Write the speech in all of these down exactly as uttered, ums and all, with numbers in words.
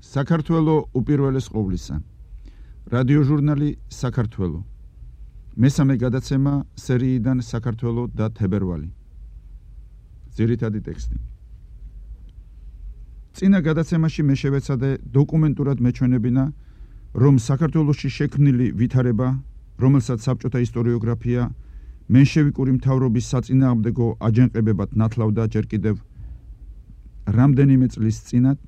საქართველო უპირველეს ყოვლისა. რადიოჟურნალი საქართველო. მესამე გადაცემა სერიიდან საქართველო და თებერვალი. ძირითადი ტექსტი. წინა გადაცემაში მე შევეცადე დოკუმენტურად მეჩვენებინა, რომ საქართველოში შექმნილი ვითარება, რომელსაც საბჭოთა ისტორიოგრაფია მენშევიკური მთავრობის საწინააღმდეგო აჯანყებებად ნათლავდა ჯერ კიდევ რამდენიმე წლის წინათ,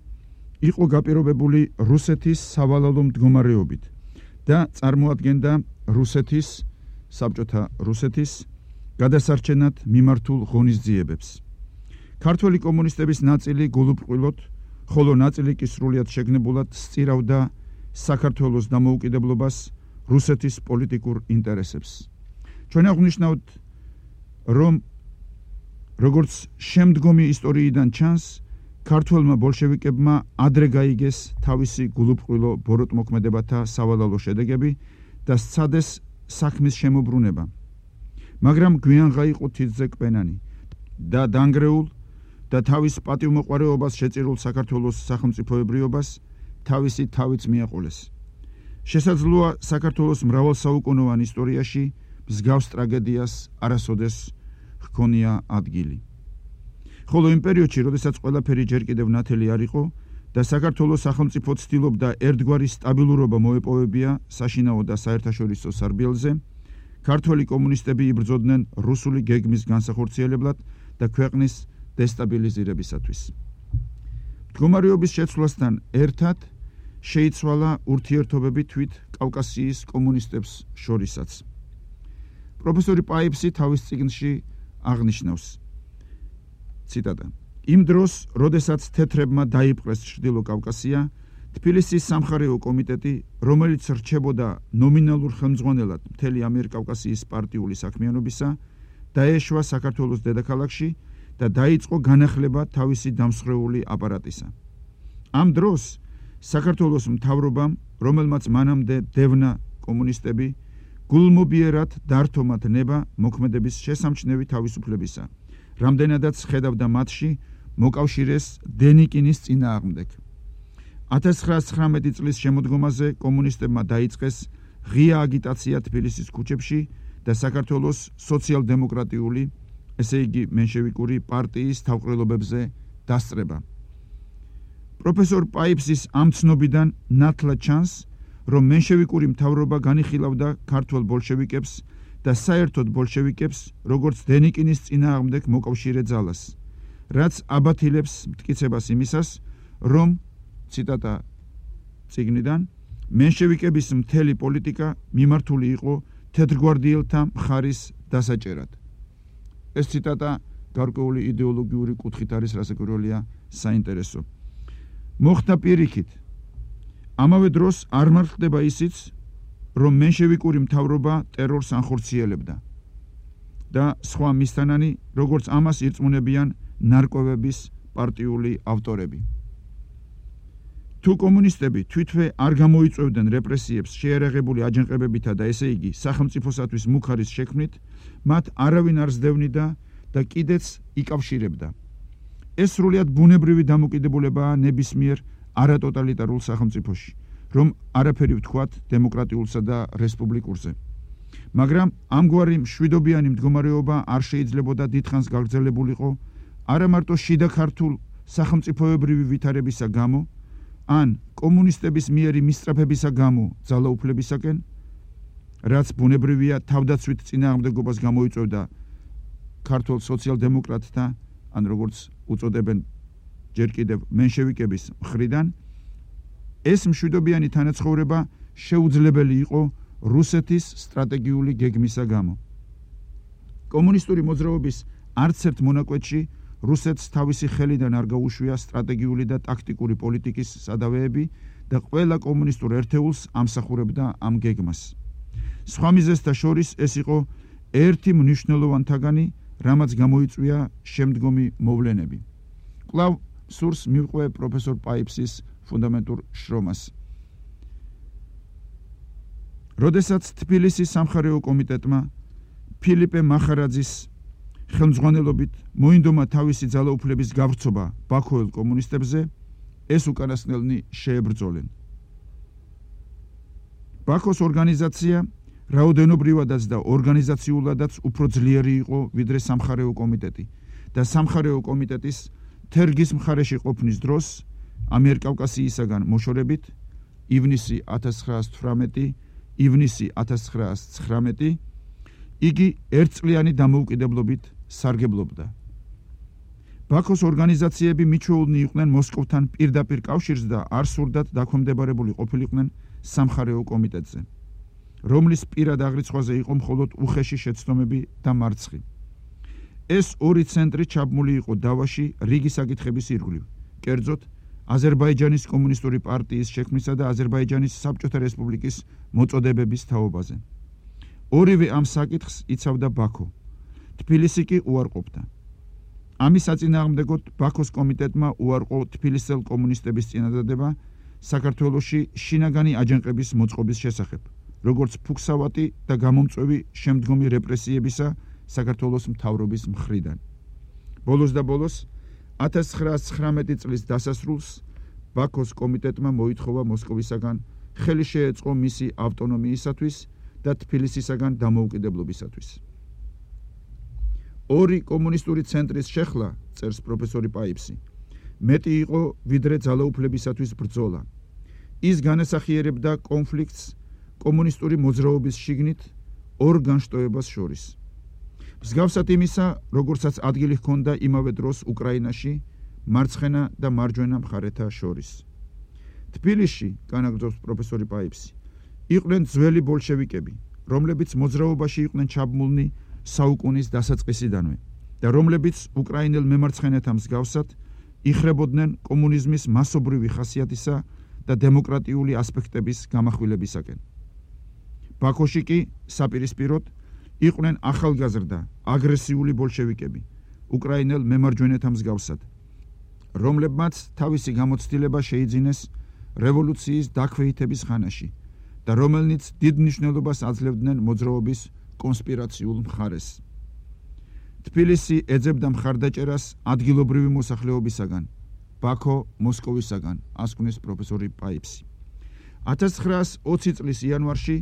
იყო გაპირობებული რუსეთის სავალალო მდგომარეობით და წარმოადგენდა რუსეთის, საბჭოთა რუსეთის გადასარჩენად მიმართულ ღონისძიებებს. ქართველი კომუნისტების ნაწილი გულუბრყვილოდ, ხოლო ნაწილი კი სრულიად შეგნებულად სწირავდა საქართველოს დამოუკიდებლობას, რუსეთის პოლიტიკურ ინტერესებს. ჩვენ აღვნიშნავთ, რომ როგორც შემდგომი ისტორიიდან ჩანს, ქართველმა ბოლშევიკებმა ადრე გაიგეს თავისი გულუბრყვილო ბოროტმოქმედებათა სავალალო შედეგები და სცადეს საქმის შემოbrunება. მაგრამ გვიანღა იყო თითზე კპენანი და დანგრეულ და თავის პატივმოყვარეობას შეწირულ საქართველოს სახელმწიფოებრიობას თავისი თავიც მიაყოლეს. შესაძლოა საქართველოს მრავალსაუკუნოვან ისტორიაში მსგავს ტრაგედიას არასოდეს ჰქონია ადგილი. ხოლო იმ პერიოდში, როდესაც ყველაფერი ჯერ კიდევ ნათელი არ იყო და საქართველოს სახელმწიფო ცდილობდა ერთგვარი სტაბილურობა მოეპოვებია საშინაო და საერთაშორისო სარბიელზე, ქართველი კომუნისტები იბრძოდნენ რუსული გეგმის განსახორციელებლად და ქვეყნის დესტაბილიზირებისათვის. მდგომარეობის შეცვლასთან ერთად შეიცვალა ურთიერთობები თვით კავკასიის კომუნისტებს შორისაც. პროფესორი პაიფსი თავის წიგნში აღნიშნავს, ციტატა: იმ დროს, როდესაც თეთრებმა დაიპყრეს ჩრდილო კავკასია, თბილისის სამხარეო კომიტეტი, რომელიც რჩებოდა ნომინალურ ხელმძღვანელად მთელი ამიერკავკასიის პარტიული საქმიანობისა, დაეშვა საქართველოს დედაქალაქში და დაიწყო განახლება თავისი დამსხვრეული აპარატისა. ამ დროს საქართველოს მთავრობამ, რომელმაც მანამდე დევნა კომუნისტები, გულმობიერად დართომათ ნება მოქმედების შესამჩნევი თავისუფლებისა, რამდენადაც ხედავდა მათში მოკავშირეს დენიკინის წინააღმდეგ. ათას ცხრაას ცხრამეტი წლის შემოდგომაზე კომუნისტებმა დაიწყეს ღია აგიტაცია თბილისის ქუჩებში და საქართველოს სოციალ-დემოკრატიული, ესე იგი მენშევიკური პარტიის თავყრილობებზე დასწრება. პროფესორ პაიფსის ამ ცნობიდან ნათლად ჩანს, რომ მენშევიკური მთავრობა განიხილავდა ქართველ ბოლშევიკებს და საერთოდ ბოლშევიკებს, როგორც დენიკინის წინააღმდეგ მოკავშირე ძალას, რაც აბათილებს მტკიცებას იმისას, რომ, ციტატა წიგნიდან, მენშევიკების მთელი პოლიტიკა მიმართული იყო თეთრგვარდიელთა მხარის დასაჭერად. ეს ციტატა გარკვეული იდეოლოგიური კუთხით არის, რასაკვირველია საინტერესო. მოხდა პირიქით. ამავე დროს არ მართლდება ისიც, რომ მენშევიკური მთავრობა ტერორს ანხორციელებდა და სხვა მისთანანი, როგორც ამას ირწმუნებიან ნარკვევების პარტიული ავტორები. თუ კომუნისტები თვითვე არ გამოიწვევდნენ რეპრესიებს შეერაღებული აჯანყებებითა და ესე იგი სახელმწიფოსათვის მუქარის შექმნით, მათ არავინ არ სდევნიდა და კიდეც იკავშირებდა. ეს სრულიად ბუნებრივი დამოკიდებულებაა ნებისმიერ არატოტალიტარულ სახელმწიფოში, რომ არაფერი ვთქვათ დემოკრატიულსა და რესპუბლიკურზე. მაგრამ ამგვარი მშვიდობიანი მდგომარეობა არ შეიძლებოდა დიდხანს გაგრძელებულიყო არა მარტო შიდა ქართულ სახელმწიფოებრივი ვითარებისა გამო, ან კომუნისტების მიერი მისწრაფებისა გამო ძალაუფლებისაკენ, რაც ბუნებრივია თავდაცვით წინააღმდეგობას გამოიწვევდა ქართულ სოციალ-დემოკრატთა, ან როგორც უწოდებენ ჯერ კიდევ მენშევიკების მხრიდან, ეს მშვიდობიანი თანაცხოვრება შეუძლებელი იყო რუსეთის სტრატეგიული გეგმისა გამო. კომუნისტური მოძრაობის არც ერთ მონაკვეთში რუსეთს თავისი ხელიდან არ გაუშვია სტრატეგიული და ტაქტიკური პოლიტიკის სადავეები და ყველა კომუნისტურ ერთეულს ამსახურებდა ამ გეგმას. სხვა მიზეზთა შორის ეს იყო ერთი მნიშვნელოვანთაგანი, რამაც გამოიწვია შემდგომი მოვლენები. კვლავ სურს მივყვე პროფესორ პაიფსის ფუნდამენტურ შრომას. როდესაც თბილისის სამხარეო კომიტეტმა ფილიპე მახარაძის ხელმძღვანელობით მოინდომა თავისი ძალაუფლების გავრცობა ბაქოელ კომუნისტებზე, ეს უკანასკნელნი შეებრძოლენ. ბაქოს ორგანიზაცია რაოდენობრივადაც და ორგანიზაციულადაც უფრო ძლიერი იყო ვიდრე სამხარეო კომიტეტი და სამხარეო კომიტეტის თერგის მხარეში ყოფნის დროს ამიერკავკასიისაგან მოშორებით ივნისი ათას ცხრაას თვრამეტი ივნისი ათას ცხრაას ცხრამეტი იგი ერთწლიანი დამოუკიდებლობით სარგებლობდა. ბაქოს ორგანიზაციები მიჩვეულნი იყვნენ მოსკოვთან პირდაპირ კავშირს და არ სურდათ დაქვემდებარებული ყოფილიყვნენ სამხარეო კომიტეტზე, რომლის პირად აღრიცხვაზე იყო მხოლოდ უხეში შეცდომები და მარცხი. ეს ორი ცენტრი ჩაბმული იყო დავაში რიგი საკითხების ირგვლივ, კერძოდ აზერბაიჯანის კომუნისტური პარტიის შექმნისა და აზერბაიჯანის საბჭოთა რესპუბლიკის მოწოდებების თაობაზე. ორივე ამ საკითხს იცავდა ბაქო, თბილისი კი უარყოფდა. ამის საწინააღმდეგოდ ბაქოს კომიტეტმა უარყო თბილისელ კომუნისტების წინადადება საქართველოში შინაგანი აჯანყების მოწყობის შესახებ, როგორც ფუქსავატი და გამომწვევი შემდგომი რეპრესიებისა საქართველოს მთავრობის მხრიდან. ბოლოს და ბოლოს ათას ცხრაას ცხრამეტი წლის დასასრულს ბაქოს კომიტეტმა მოითხოვა მოსკოვისაგან ხელი შეეწყო მისი ავტონომიისათვის და თბილისისაგან დამოუკიდებლობისათვის. ორი კომუნისტური ცენტრის შეხლა, წერს პროფესორი პაიფსი, მეტი იყო ვიდრე ძალაუფლებისათვის ბრძოლა. ის განასახიერებდა კონფლიქტს კომუნისტური მოძრაობის შიგნით ორ განშტოებას შორის. მსგავსად იმისა, როგორცაც ადგილი ჰქონდა იმავე დროს უკრაინაში მარცხენა და მარჯვენა მხარეთა შორის. თბილისში, განაგრძობს პროფესორი პაიფსი, იყვნენ ძველი ბოლშევიკები, რომლებიც მოძრაობაში იყვნენ ჩაბმულნი საუკუნის დასაწყისიდანვე და რომლებიც უკრაინელ მემარცხენეთა მსგავსად იხრებოდნენ კომუნიზმის მასობრივი ხასიათისა და დემოკრატიული ასპექტების გამახვილებისაკენ. ბაქოში კი საპირისპიროდ იყვნენ ახალგაზრდა, აგრესიული ბოლშევიკები, უკრაინელ მემარჯვენეთა მსგავსად, რომლებმაც თავისი გამოცდილება შეიძინეს რევოლუციის დაქვეითების ხანაში და რომელნიც დიდ მნიშვნელობას აძლევდნენ მოძრაობის კონსპირაციულ მხარეს. თბილისი ეძებდა მხარდაჭერას ადგილობრივი მოსახლეობისაგან, ბაქო მოსკოვისაგან, ასკვნეს პროფესორი პაიფსი. ათას ცხრაას ოცი წლის იანვარში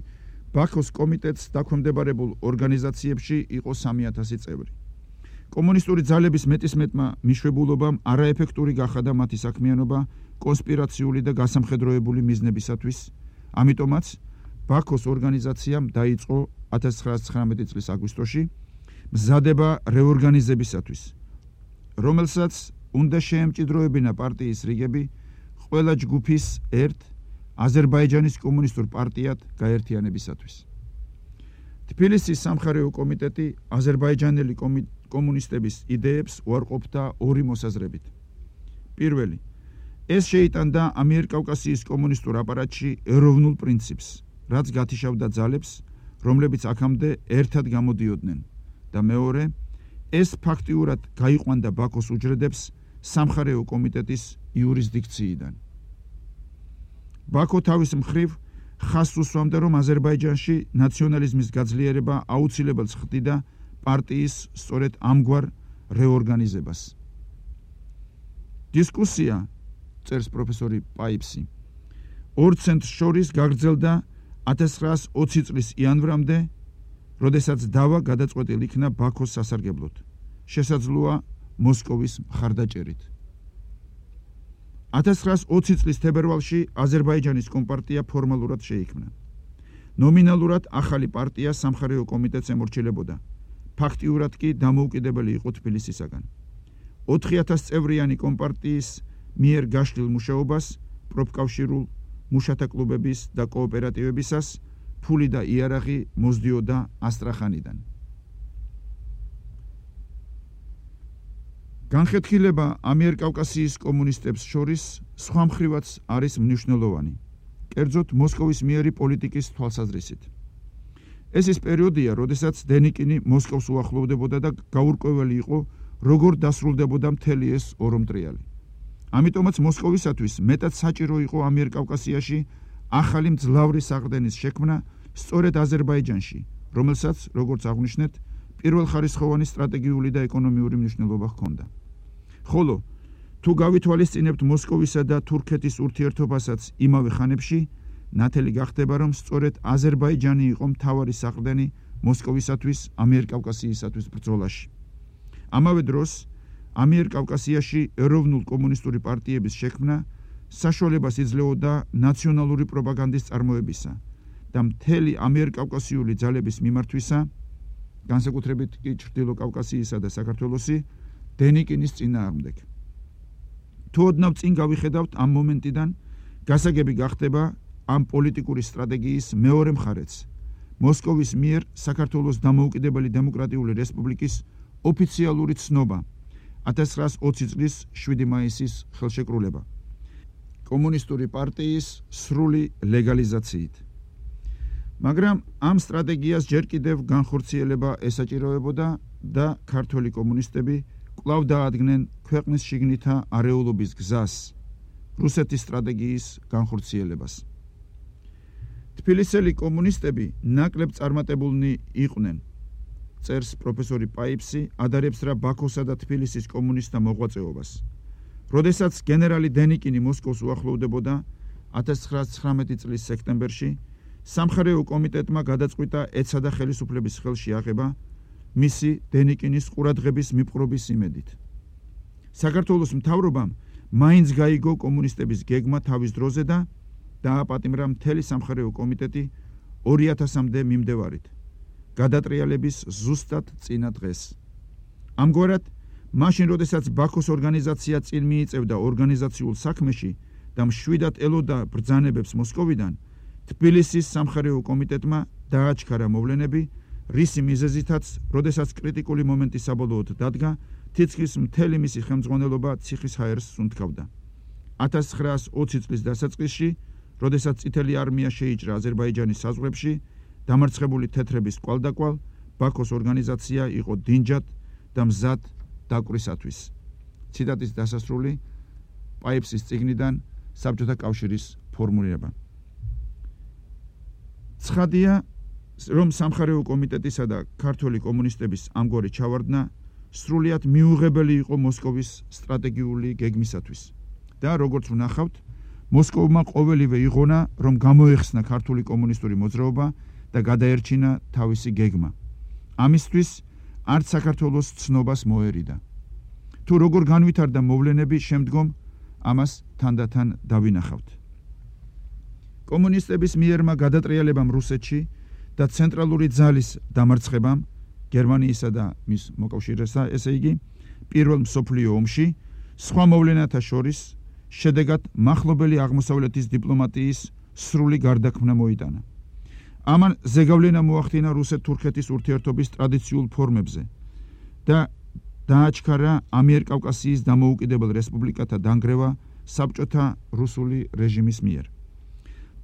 ბაქოს კომიტეტს დაქვემდებარებულ ორგანიზაციებში იყო სამი ათასი წევრი. კომუნისტური ძალების მეტისმეტმა მიშვებულობამ არაეფექტური გახადა მათი საქმიანობა კონსპირაციული და გასამხედროებული მიზნებისათვის, ამიტომაც ბაქოს ორგანიზაციამ დაიწყო ათას ცხრაას ცხრამეტი წლის აგვისტოში მზადება რეორგანიზებისათვის, რომელსაც უნდა შეემჭიდროებინა პარტიის რიგები ყველა ჯგუფის ერთ აზერბაიჯანის კომუნისტურ პარტიად გაერთიანებისათვის. თბილისის სამხარეო კომიტეტი აზერბაიჯანელი კომუნისტების იდეებს უარყოფდა ორი მოსაზრებით. პირველი, ეს შეიტანდა ამიერკავკასიის კომუნისტურ აპარატში ეროვნულ პრინციპს, რაც გათიშავდა ძალებს, რომლებიც აქამდე ერთად გამოდიოდნენ და მეორე, ეს ფაქტიურად გაიყვანდა ბაქოს უჯრედებს სამხარეო კომიტეტის იურისდიქციიდან. ბაქო თავის მხრივ ხაზს უსვამდა, რომ აზერბაიჯანში ნაციონალიზმის გაძლიერება აუცილებელს ხდიდა პარტიის სწორედ ამგვარ რეორგანიზებას. დისკუსია, წერს პროფესორი პაიფსი, ორ ცენტრს შორის გაგრძელდა ათას ცხრაას ოცი წლის იანვრამდე, როდესაც დავა გადაწყვეტილ იქნა ბაქოს სასარგებლოდ, შესაძლოა მოსკოვის მხარდაჭერით. ათას ცხრაას ოცი წლის თებერვალში აზერბაიჯანის კომპარტია ფორმალურად შეიქმნა. ნომინალურად ახალი პარტია სამხარეო კომიტეტს ემორჩილებოდა, ფაქტიურად კი დამოუკიდებელი იყო თბილისისაგან. ოთხი ათას წევრიანი კომპარტიის მიერ გაშლილ მუშაობას პროფკავშირულ მუშათა კლუბების და კოოპერატივებისას ფული და იარაღი მოსდიოდა ასტრახანიდან. განხეთქილება ამიერკავკასიის კომუნისტებს შორის სხვა მხრივაც არის მნიშვნელოვანი, კერძოდ მოსკოვის მიერი პოლიტიკის თვალსაზრისით. ეს ის პერიოდია, როდესაც დენიკინი მოსკოვს უახლოვდებოდა და გაურკვეველი იყო, როგორ დასრულდებოდა მთელი ეს ორმტრიალი. ამიტომაც მოსკოვისათვის მეტად საჭირო იყო ამიერკავკასიაში ახალი მძლავრი საყრდენის შექმნა სწორედ აზერბაიჯანში, რომელსაც, როგორც აღვნიშნეთ, პირველხარისხოვანი სტრატეგიული და ეკონომიური მნიშვნელობა ჰქონდა. ხოლო თუ გავითვალისწინებთ მოსკოვისა და თურქეთის ურთიერთობასაც იმავე ხანებში, ნათელი გახდება, რომ სწორედ აზერბაიჯანი იყო მთავარი საყრდენი მოსკოვისათვის ამიერკავკასიისათვის ბრძოლაში. ამავე დროს ამიერკავკასიაში ეროვნულ კომუნისტური პარტიების შექმნა საშუალებას იძლეოდა ნაციონალური პროპაგანდის წარმოებისა და მთელი ამიერკავკასიული ძალების მიმართვისა, განსაკუთრებით კი ჩრდილო კავკასიისა და საქართველოსი, დენიკინის წინააღმდეგ. თუ ოდნავ წინ გავიხედავთ ამ მომენტიდან, გასაგები გახდება ამ პოლიტიკური სტრატეგიის მეორე მხარეც, მოსკოვის მიერ საქართველოს დამოუკიდებელი დემოკრატიული რესპუბლიკის ოფიციალური ცნობა ათას ცხრაას ოცი წლის შვიდი მაისის ხელშეკრულება კომუნისტური პარტიის სრული ლეგალიზაციით. მაგრამ ამ სტრატეგიას ჯერ კიდევ განხორციელება ესაჭიროებოდა და ქართველი კომუნისტები კვლავ დაადგნენ ქვეყნის შიგნითა არეულობის გზას, რუსეთის სტრატეგიის განხორციელებას. თბილისელი კომუნისტები ნაკლებ წარმატებულნი იყვნენ, წერს პროფესორი პაიფსი, ადარებს რა ბაქოსა და თბილისის კომუნისტთა მოღვაწეობას. როდესაც გენერალი დენიკინი მოსკოვს უახლოვდებოდა ათას ცხრაას ცხრამეტი წლის სექტემბერში, სამხარეო კომიტეტმა გადაწყვიტა ეცა და ხელისუფლების ხელში აღება მისი დენიკინის ყურადღების მიპყრობის იმედით. საქართველოს მთავრობამ მაინც გაიგო კომუნისტების გეგმა თავის დროზე და დააპატიმრა მთელი სამხარეო კომიტეტი ორი ათასამდე მიმდევარით, გადატრიალების ზუსტად წინა დღეს. ამგვარად, მაშინ როდესაც ბაქოს ორგანიზაცია წინ მიიწევდა ორგანიზაციულ საქმეში და მშვიდად ელოდა ბრძანებებს მოსკოვიდან, თბილისის სამხარეო კომიტეტმა დააჩქარა მოვლენები, რისი მიზეზითაც, როდესაც კრიტიკული მომენტი საბოლოოდ დადგა, თითქმის მთელი მისი ხელმძღვანელობა ციხის ჰაერს სუნთქავდა. ათას ცხრაას ოცი წლის დასაწყისში, როდესაც წითელი არმია შეიჭრა აზერბაიჯანის საზღვრებში, დამარცხებული თეთრების კვალდაკვალ, ბაქოს ორგანიზაცია იყო დინჯად და მზად დაკვრისათვის. ციტატის დასასრული პაიფსის წიგნიდან საბჭოთა კავშირის ფორმულირება. ცხადია, რომ სამხარეო კომიტეტისა და ქართველი კომუნისტების ამგვარი ჩავარდნა სრულიად მიუღებელი იყო მოსკოვის სტრატეგიული გეგმისათვის და როგორც ვნახავთ, მოსკოვმა ყოველივე იღონა, რომ გამოეხსნა ქართული კომუნისტური მოძრაობა და გადაერჩინა თავისი გეგმა. ამისთვის არც საქართველოს ცნობას მოერიდა. თუ როგორ განვითარდა მოვლენები შემდგომ, ამას თანდათან დავინახავთ. კომუნისტების მიერმა გადატრიალებამ რუსეთში და ცენტრალური ძალის დამარცხებამ გერმანიისა და მის მოკავშირესა, ესე იგი, პირველ მსოფლიო ომში, სხვა მოვლენათა შორის შედეგად მახლობელი აღმოსავლეთის დიპლომატიის სრული გარდაქმნა მოიტანა. ამან ზეგავლენა მოახდინა რუსეთ-თურქეთის ურთიერთობის ტრადიციულ ფორმებზე და დააჩქარა ამიერკავკასიის დამოუკიდებელ რესპუბლიკათა დანგრევა საბჭოთა რუსული რეჟიმის მიერ.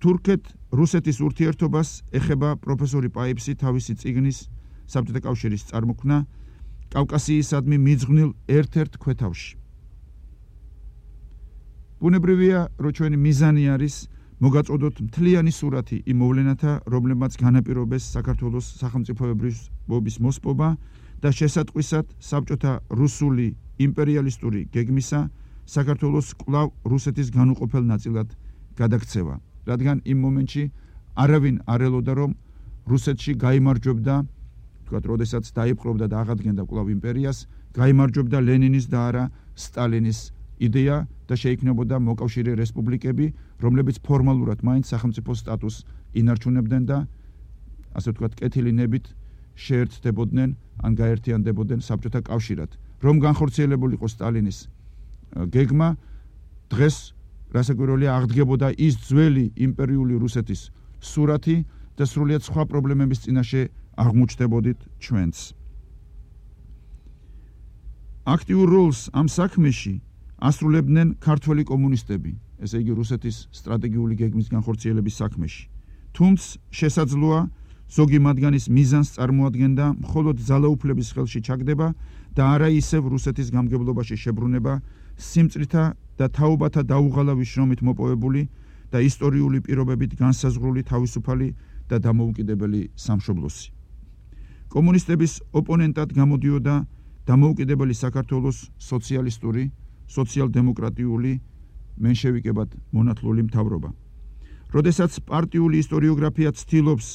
თურქეთ-რუსეთის ურთიერთობას ეხება პროფესორი პაიფსი თავისი წიგნის საბჭოთა კავშირის წარმოქმნა კავკასიისადმი მიძღვნილ ერთ-ერთ ქვეთავში. ბუნებრივია, რომ ჩვენი მიზანი არის მოგაწოდოთ მთლიანი სურათი იმ მოვლენათა, რომლებმაც განაპირობეს საქართველოს სახელმწიფოებრიობის მოსპობა და შესატყვისად საბჭოთა რუსული იმპერიალისტური გეგმისა საქართველოს კვლავ რუსეთის განუყოფელ ნაწილად გადაქცევა, რადგან იმ მომენტში არავინ არ ელოდა, რომ რუსეთში გაიმარჯვებდა, თქვათ, როდესაც დაიპყრობდა და აღადგენდა კვლავ იმპერიას, გაიმარჯვებდა ლენინის და არა სტალინის იდეა და შეიქმნებოდა მოკავშირე რესპუბლიკები, რომლებიც ფორმალურად მაინც სახელმწიფო სტატუსს ინარჩუნებდნენ და ასე ვთქვათ, კეთილი ნებით შეერთდებოდნენ ან გაერთიანდებოდნენ საბჭოთა კავშირად. რომ განხორციელებულიყო სტალინის გეგმა, დღეს რასაკვირველია აღდგებოდა ის ძველი იმპერიული რუსეთის სურათი და სრულიად სხვა პრობლემების წინაშე აღმოჩნდებოდით ჩვენც. აქტიურ როლს ამ საქმეში ასრულებდნენ ქართველი კომუნისტები, ესე იგი რუსეთის სტრატეგიული გეგმის განხორციელების საქმეში. თუმც შესაძლოა ზოგი მათგანის მიზანს წარმოადგენდა მხოლოდ ძალაუფლების ხელში ჩაგდება და არა ისევ რუსეთის გამგებლობაში შებრუნება სიმწრითა და თაობათა დაუღალავი შრომით მოპოვებული და ისტორიული პირობებით განსაზღვრული თავისუფალი და დამოუკიდებელი სამშობლოსი. კომუნისტების ოპონენტად გამოდიოდა დამოუკიდებელი საქართველოს სოციალისტური, სოციალ-დემოკრატიული მენშევიკებად მონათლული მთავრობა. როდესაც პარტიული ისტორიოგრაფია ცდილობს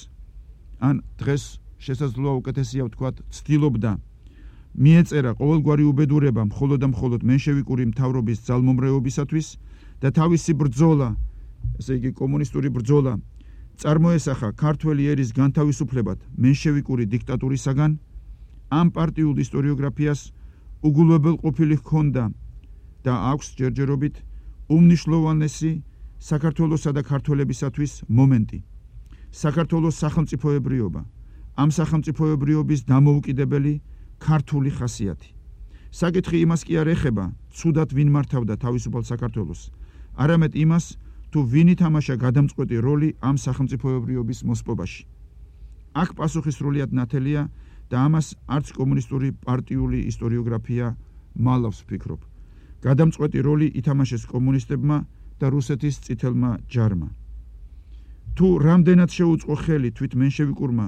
ან დღეს შესაძლოა უკეთესია ვთქვათ, ცდილობდა მიეწერა ყოველგვარი უბედურება მხოლოდ და მხოლოდ მენშევიკური მთავრობის ძალმომრეობისათვის და თავისი ბრძოლა, ესე იგი კომუნისტური ბრძოლა წარმოესახა ქართველი ერის განთავისუფლებად მენშევიკური დიქტატურისაგან, ამ პარტიულ ისტორიოგრაფიას უგულებელყოფილი ჰქონდა და აქვს ჯერჯერობით უმნიშვნელოვანესი საქართველოსა და ქართველებისათვის მომენტი. საქართველოს სახელმწიფოებრიობა, ამ სახელმწიფოებრიობის დამოუკიდებელი ქართული ხასიათი. საკითხი იმას კი არ ეხება, ცუდად ვინ მართავდა თავისუფალ საქართველოს, არამედ იმას, თუ ვინ ითამაშა გადამწყვეტი როლი ამ სახელმწიფოებრიობის მოსპობაში. აქ პასუხი სრულიად ნათელია და ამას არც კომუნისტური პარტიული ისტორიოგრაფია მალავს ვფიქრობ. გადამწყვეტი როლი ითამაშეს კომუნისტებმა და რუსეთის წითელმა ჯარმა. თუ რამდენად შეუწყო ხელი თვით მენშევიკურმა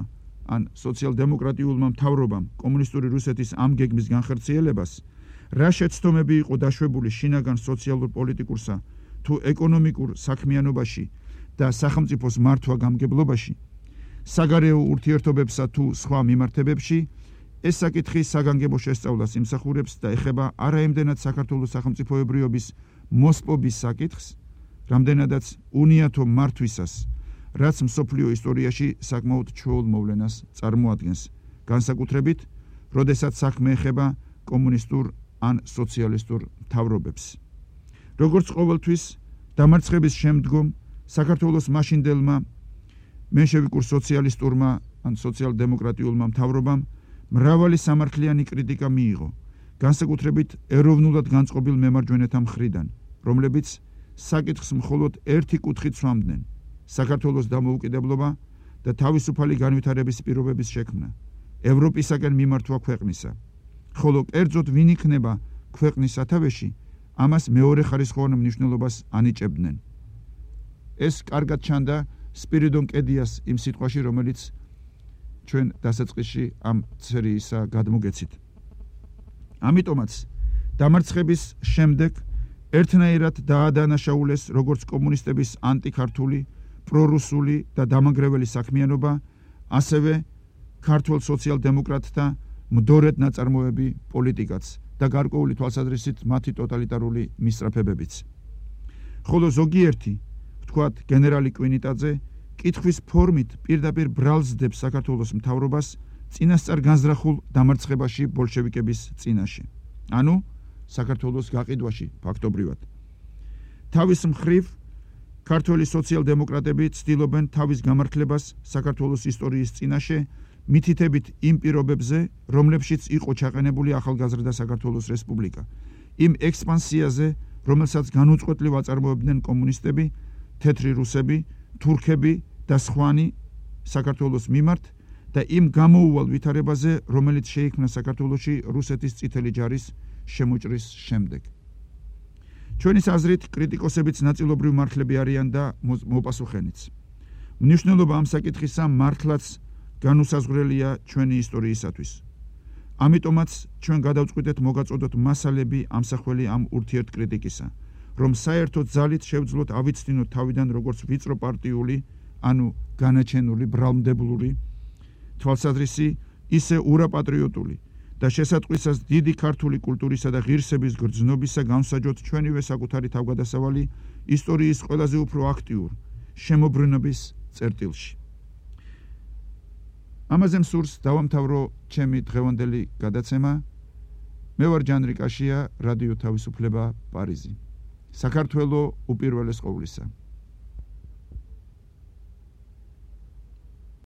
ან სოციალ-დემოკრატიულმა მთავრობამ კომუნისტური რუსეთის ამ გეგმის განხორციელებას, რა შეცდომები იყო დაშვებული შინაგან სოციალურ პოლიტიკურსა თუ ეკონომიკურ საქმიანობაში და სახელმწიფოს მართვა-გამგებლობაში, საგარეო ურთიერთობებსა თუ სხვა მიმართებებში, ეს საკითხი საგანგებო შესწავლას იმსახურებს და ეხება არაიმდენად საქართველოს სახელმწიფოებრიობის მოსპობის საკითხს, რამდენადაც უნიათო მართვისას, რაც მსოფლიო ისტორიაში საკმაოდ ჩვეულ მოვლენას წარმოადგენს, განსაკუთრებით, როდესაც საქმე ეხება კომუნისტურ ან სოციალისტურ მთავრობებს. როგორც ყოველთვის, დამარცხების შემდგომ საქართველოს მაშინდელმა მენშევიკურ სოციალისტურმა ან სოციალ-დემოკრატიულმა მთავრობამ მრავალი სამართლიანი კრიტიკა მიიღო, განსაკუთრებით ეროვნულად განწყობილ მემარჯვენეთა მხრიდან, რომლებიც საკითხს მხოლოდ ერთი კუთხით სვამდნენ: საქართველოს დამოუკიდებლობა და თავისუფალი განვითარების პირობების შექმნა, ევროპისაკენ მიმართვა ქვეყნისა, ხოლო კერძოდ ვინ იქნება ქვეყნის სათავეში, ამას მეორეხარისხოვან მნიშვნელობას ანიჭებდნენ. ეს კარგად ჩანდა სპირიდონ კედიას იმ სიტყვაში, რომელიც ჩვენ დასაწყისში ამ სერიისა გადმოგეცით. ამიტომაც დამარცხების შემდეგ ერთნაირად დაადანაშაულეს როგორც კომუნისტების ანტიქართული, პრორუსული და დამანგრეველი საქმიანობა, ასევე ქართველ სოციალ-დემოკრატთა მდორედ ნაწარმოები პოლიტიკაც და გარკვეული თვალსაზრისით მათი ტოტალიტარული მისწრაფებებიც. ხოლო ზოგიერთი, ვთქვათ გენერალი კვინიტაძე, კითხვის ფორმით პირდაპირ ბრალსდებს საქართველოს მთავრობას წინასწარ განზრახულ დამარცხებაში ბოლშევიკების წინაშე, ანუ საქართველოს გაყიდვაში ფაქტობრივად. თავის მხრივ ქართველი სოციალ-დემოკრატები ცდილობენ თავის გამართლებას საქართველოს ისტორიის წინაშე მითითებით იმ პირობებზე, რომლებშიც იყო ჩაყენებული ახალგაზრდა საქართველოს რესპუბლიკა, იმ ექსპანსიაზე, რომელსაც განუწყვეტლივ აწარმოებდნენ კომუნისტები, თეთრი რუსები, თურქები და სხვანი საქართველოს მიმართ და იმ გამოუვალ ვითარებაზე, რომელიც შეიქმნა საქართველოში რუსეთის წითელი ჯარის შემოჭრის შემდეგ. ჩვენის აზრით, კრიტიკოსებიც ნაწილობრივ მართლები არიან და მოპასუხენიც. მნიშვნელობა ამ საკითხისა მართლაც განუსაზღვრელია ჩვენი ისტორიისათვის. ამიტომაც ჩვენ გადავწყვიტეთ მოგაწოდოთ მასალები ამსახველი ამ ურთიერთკრიტიკისა, რომ საერთოდ ძალით შევძლოთ ავიცდინოთ თავიდან როგორც ვიწრო პარტიული, ანუ განაჩენული, ბრალმდებლური თვალსაზრისი, ისე ურაპატრიოტული და შესატყვისას დიდი ქართული კულტურისა და ღირსების გრძნობისა განსაჯოთ ჩვენივე საკუთარი თავგადასავალი ისტორიის ყველაზე უფრო აქტიურ შემოbrunების წერტილში. ამაზე მსურს დავამთავრო ჩემი დღევანდელი გადაცემა. მე ვარ ჯანრი კაშია, რადიო თავისუფლება, პარიზი. საქართველო უპირველეს ყოვლისა.